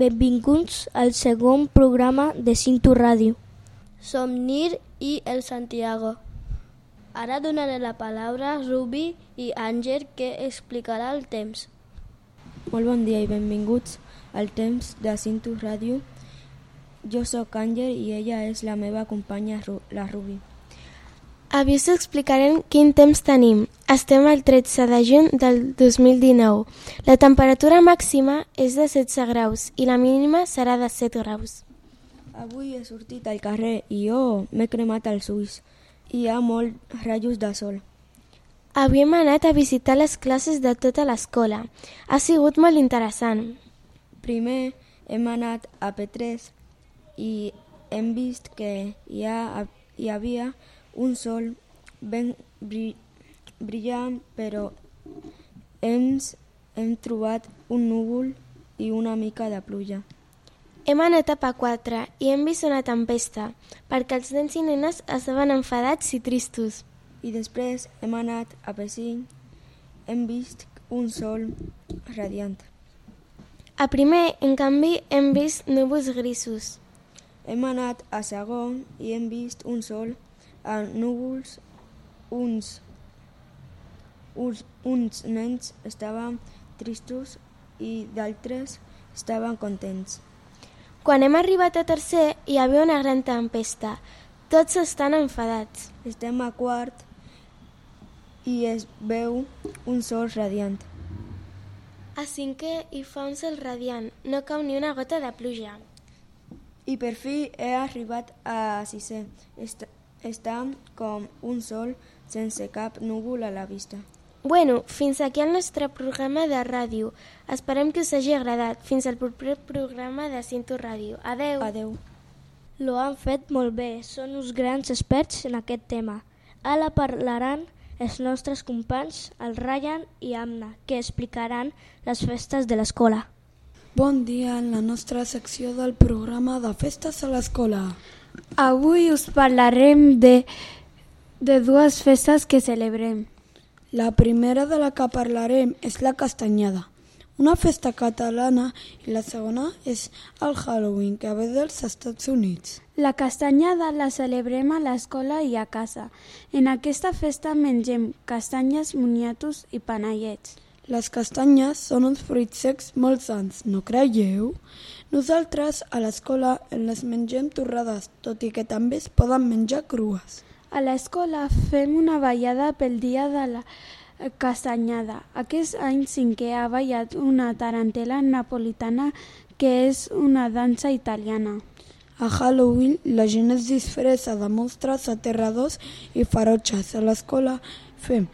Benvinguts al segon programa de Cinto Ràdio. Som Nir i el Santiago. Ara donaré la paraula a Rubi i Àngel, que explicarà el temps. Molt bon dia i benvinguts al temps de Cinto Ràdio. Jo sóc Àngel i ella és la meva companya, la Rubi. Avui us explicarem quin temps tenim. Estem al 13 de juny del 2019. La temperatura màxima és de 16 graus i la mínima serà de 7 graus. Avui he sortit al carrer i jo m'he cremat els ulls. Hi ha molts rajos de sol. Avui hem anat a visitar les classes de tota l'escola. Ha sigut molt interessant. Primer hem anat a P3 i hem vist que hi havia un sol ben brillant, però hem trobat un núvol i una mica de pluja. Hem anat a P4 i hem vist una tempesta, perquè els nens i nenes estaven enfadats i tristos. I després hem anat a P5, hem vist un sol radiant. A primer, en canvi, hem vist núvols grisos. Hem anat a segon i hem vist un sol a núvols. Uns nens estaven tristos i d'altres estaven contents. Quan hem arribat a tercer, hi havia una gran tempesta. Tots estan enfadats. Estem a quart i es veu un sol radiant. A cinquè hi fa un sol radiant, no cau ni una gota de pluja. I per fi he arribat a sisè. Està com un sol sense cap núvol a la vista. Bueno, fins aquí el nostre programa de ràdio. Esperem que us hagi agradat. Fins al proper programa de Cinto Ràdio. Adeu. Adeu. Lo han fet molt bé, són uns grans experts en aquest tema. Ara parlaran els nostres companys, el Ryan i Amna, que explicaran les festes de l'escola. Bon dia en la nostra secció del programa de festes a l'escola. Avui us parlarem de dues festes que celebrem. La primera de la que parlarem és la Castanyada, una festa catalana, i la segona és el Halloween, que ve dels Estats Units. La Castanyada la celebrem a l'escola i a casa. En aquesta festa mengem castanyes, moniatos i panellets. Les castanyes són uns fruits secs molt sans, no creieu? Nosaltres a l'escola les mengem torrades, tot i que també es poden menjar crues. A l'escola fem una ballada pel dia de la castanyada. Aquest any cinquè ha ballat una tarantela napolitana, que és una dansa italiana. A Halloween la gent es disfressa de monstres aterradors i ferotges. A l'escola fem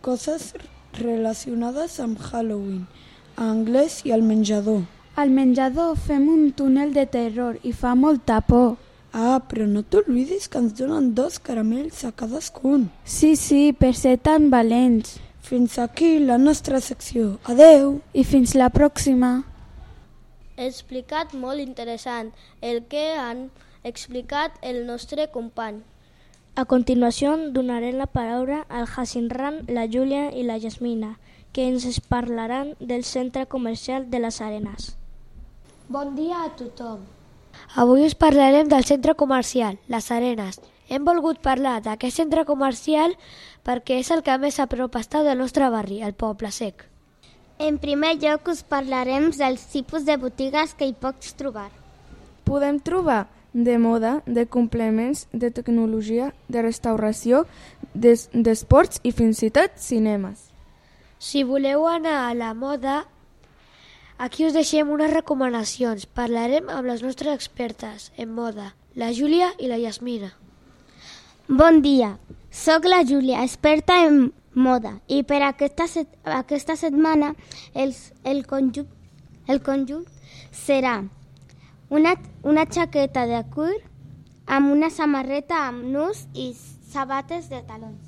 coses relacionades amb Halloween, a anglès i al menjador. Al menjador fem un túnel de terror i fa molta por. Ah, però no t'oblidis que ens donen 2 caramels a cadascun. Sí, per ser tan valents. Fins aquí la nostra secció. Adeu! I fins la pròxima. He explicat molt interessant el que han explicat el nostre company. A continuació donaré la paraula al Jacinran, la Júlia i la Yasmina, que ens parlaran del centre comercial de les Arenes. Bon dia a tothom. Avui us parlarem del centre comercial, les Arenes. Hem volgut parlar d'aquest centre comercial perquè és el que més a prop està del nostre barri, el Poble Sec. En primer lloc us parlarem dels tipus de botigues que hi pots trobar. Podem trobar de moda, de complements, de tecnologia, de restauració, d'esports i fins i tot cinemes. Si voleu anar a la moda, aquí us deixem unes recomanacions. Parlarem amb les nostres expertes en moda, la Júlia i la Yasmina. Bon dia, sóc la Júlia, experta en moda, i per aquesta setmana el conjunt serà una jaqueta de cuir amb una samarreta amb nus i sabates de talons.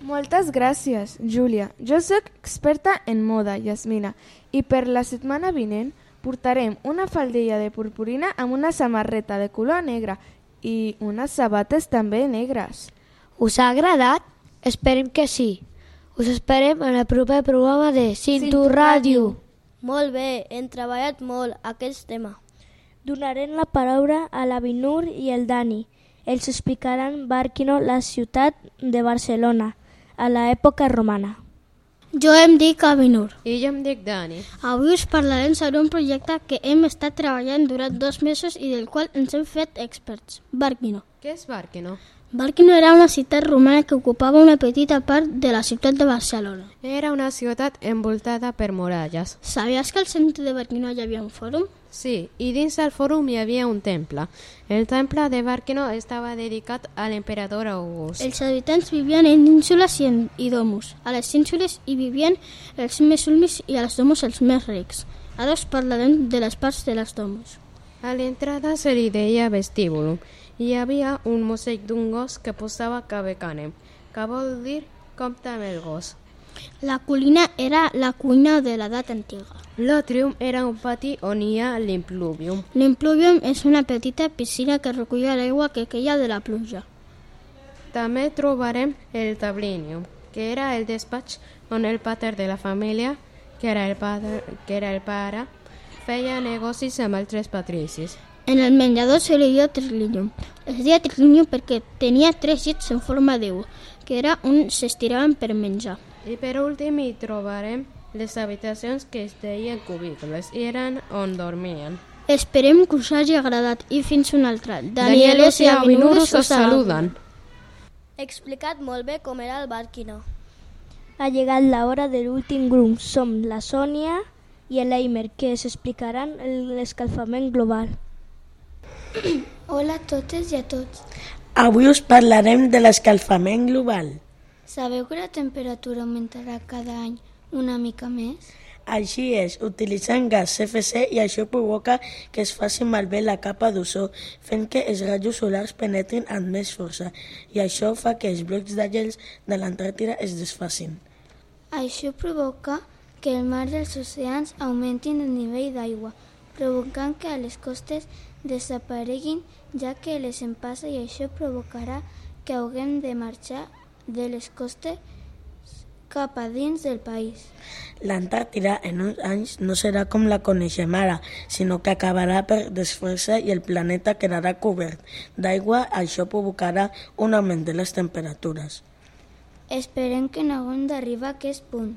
Moltes gràcies, Júlia. Jo sóc experta en moda, Yasmina, i per la setmana vinent portarem una faldilla de purpurina amb una samarreta de color negre i unes sabates també negres. Us ha agradat? Esperem que sí. Us esperem en el proper programa de Cinto Ràdio. Molt bé, hem treballat molt aquest tema. Donarem la paraula a la Binur i el Dani. Ells explicaran Barquino, la ciutat de Barcelona, a l'època romana. Jo em dic Avinur. I jo em dic Dani. Avui us parlarem sobre un projecte que hem estat treballant durant 2 mesos i del qual ens hem fet experts. Barquino. Què és Barquino? Barquino era una ciutat romana que ocupava una petita part de la ciutat de Barcelona. Era una ciutat envoltada per muralles. Sabies que al centre de Barquino hi havia un fòrum? Sí, i dins del fòrum hi havia un temple. El temple de Barquino estava dedicat a l'emperador August. Els habitants vivien en ínsules i domus. A les ínsules hi vivien els més últims i als domus els més rics. Ara us parlarem de les parts de les domus. A l'entrada se li deia vestíbulum. Hi havia un mosaic d'un gos que posava cabecanem, que vol dir compte amb el gos. La colina era la cuina de l'edat antiga. L'atrium era un pati on hi ha l'impluvium. L'impluvium és una petita piscina que recull l'aigua que queia de la pluja. També trobarem el tablinium, que era el despatx on el pater de la família, que era el pare, feia negocis amb altres patricis. En el menjador se li deia triclinium. Es deia triclinium perquè tenia 3 llits en forma d'U, que era on s'estiraven per menjar. I per últim hi trobarem les habitacions que es deien cubicles i eren on dormien. Esperem que us hagi agradat i fins una altra. Danielos i Avinurus us saluden. He explicat molt bé com era el Barquino. Ha llegat l'hora de l'últim grup. Som la Sònia i l'Eimer, que ens explicaran l'escalfament global. Hola a totes i a tots. Avui us parlarem de l'escalfament global. Sabeu que la temperatura augmentarà cada any una mica més? Així és, utilitzant gas CFC i això provoca que es faci malbé la capa d'ozó, fent que els rajos solars penetrin amb més força i això fa que els blocs de gels de l'Antàrtida es desfacin. Això provoca que el mar dels oceans augmentin el nivell d'aigua, provocant que a les costes desapareguin, ja que les empassa i això provocarà que haguem de marxar de les costes cap a dins del país. L'Antàrtida en uns anys no serà com la coneixem ara, sinó que acabarà per desfer-se i el planeta quedarà cobert d'aigua. Això provocarà un augment de les temperatures. Esperem que no haguem d'arribar a aquest punt.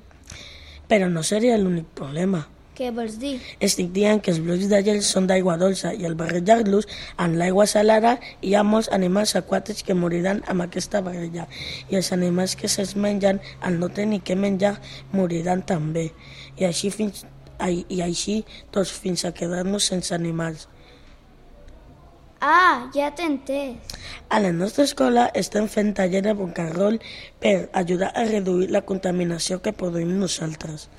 Però no seria l'únic problema. Què vols dir? Estic dient que els blocs de gel són d'aigua dolça i al barrejar-los amb l'aigua salada hi ha molts animals aquàtics que moriran amb aquesta barreja i els animals que se'ls mengen al no tenir què menjar moriran també i així tots fins a quedar-nos sense animals. Ah, ja t'he entès. A la nostra escola estem fent taller de boca-roll per ajudar a reduir la contaminació que produïm nosaltres.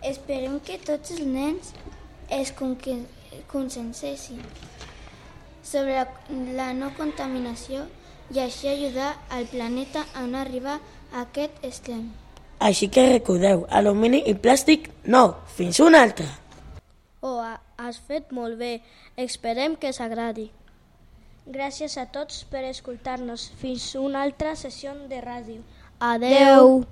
Esperem que tots els nens es conscienciessin sobre la no contaminació i així ajudar al planeta a no arribar a aquest extrem. Així que recordeu, alumini i plàstic no, fins una altra! Oh, has fet molt bé, esperem que s'agradi. Gràcies a tots per escoltar-nos. Fins una altra sessió de ràdio. Adeu!